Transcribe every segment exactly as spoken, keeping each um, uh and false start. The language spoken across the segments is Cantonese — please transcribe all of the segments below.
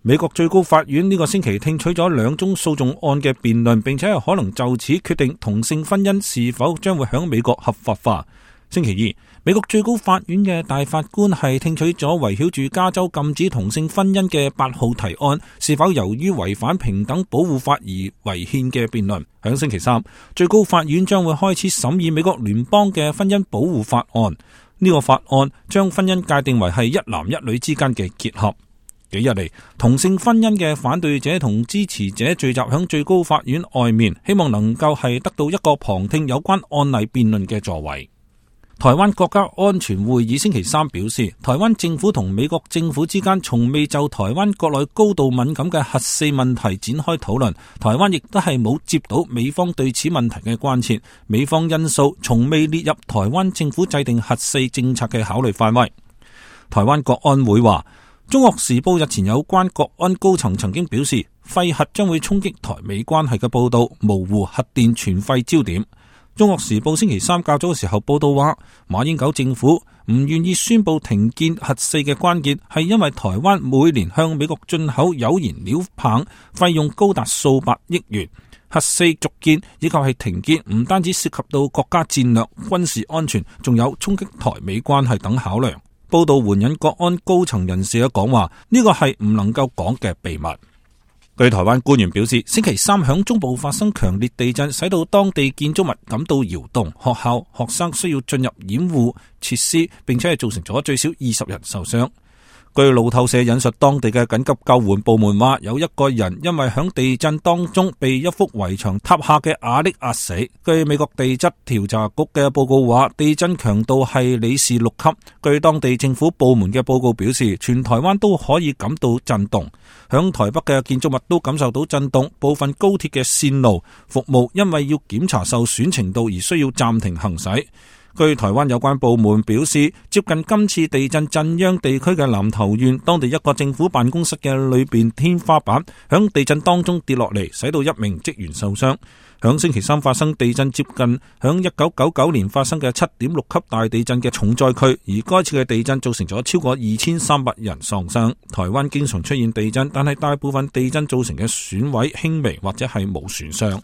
美國最高法院呢個星期聽取咗兩宗訴訟案嘅辯論，並且係可能就此決定同性婚姻是否將會響美國合法化。星期二，美國最高法院嘅大法官係聽取咗圍繞住加州禁止同性婚姻嘅八號提案是否由於違反平等保護法而違憲嘅辯論。響星期三，最高法院將會開始審議美國聯邦嘅婚姻保護法案。呢個法案將婚姻界定為係一男一女之間嘅結合。幾日嚟，同性婚姻嘅反對者同支持者聚集響最高法院外面，希望能夠係得到一個旁聽有關案例辯論嘅座位。台灣國家安全會議星期三表示，台灣政府同美國政府之間從未就台灣國內高度敏感嘅核四問題展開討論，台灣亦都係冇接到美方對此問題嘅關切，美方因素從未列入台灣政府制定核四政策嘅考慮範圍。台灣國安會話，中國時報日前有關國安高層曾經表示，廢核將會衝擊台美關係嘅報道，模糊核電全廢焦點。中國時報星期三較早嘅時候報道話，馬英九政府唔願意宣布停建核四嘅關鍵係因為台灣每年向美國進口鈾燃料棒費用高達數百億元，核四續建以及係停建唔單止涉及到國家戰略、軍事安全，仲有衝擊台美關係等考量。報道援引國安高層人士嘅講話，呢個係唔能夠講嘅秘密。據台灣官員表示，星期三響中部發生強烈地震，使到當地建築物感到搖動，學校學生需要進入掩護設施，並且係造成咗最少二十人受傷。據路透社引述當地嘅緊急救援部門話，有一個人因為響地震當中被一幅圍牆塌下嘅瓦礫壓死。據美國地質調查局嘅報告話，地震強度係里氏六級。據當地政府部門嘅報告表示，全台灣都可以感到震動，響台北嘅建築物都感受到震動，部分高鐵嘅線路服務因為要檢查受損程度而需要暫停行駛。據台灣有關部門表示，接近今次地震震央地區嘅南投縣，當地一個政府辦公室嘅裏邊天花板響地震當中跌落嚟，使到一名職員受傷。響星期三發生地震，接近響一九九九年發生嘅七點六級大地震嘅重災區，而該次嘅地震造成咗超過二千三百人喪生。台灣經常出現地震，但係大部分地震造成嘅損毀輕微或者係冇損傷。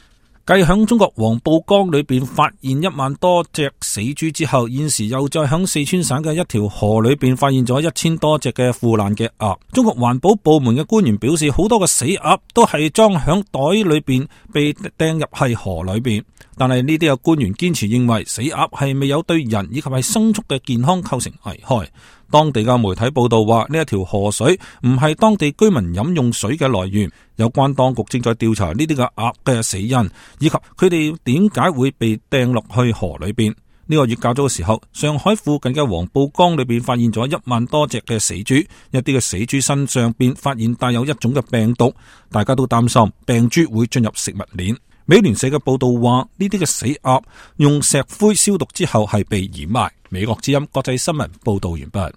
繼響中國黃浦江裏邊發現一萬多隻死豬之後，現時又再響四川省嘅一條河裏邊發現咗一千多隻嘅腐爛嘅鴨。中國環保部門嘅官員表示，好多嘅死鴨都係裝響袋裏邊被掟入係河裏邊，但係呢啲嘅官員堅持認為死鴨係未有對人以及係牲畜嘅健康構成危害。當地嘅媒體報道話，呢一條河水唔係當地居民飲用水嘅來源。有關當局正在調查呢啲嘅鴨嘅死因，以及佢哋點解會被掟落去河裏邊。呢個月較早嘅時候，上海附近嘅黃浦江裏邊發現咗一萬多隻嘅死豬，一啲嘅死豬身上邊發現帶有一種嘅病毒，大家都擔心病豬會進入食物鏈。美聯社嘅報道話，呢啲嘅死鴨用石灰消毒之後係被掩埋。美國之音國際新聞報道完畢。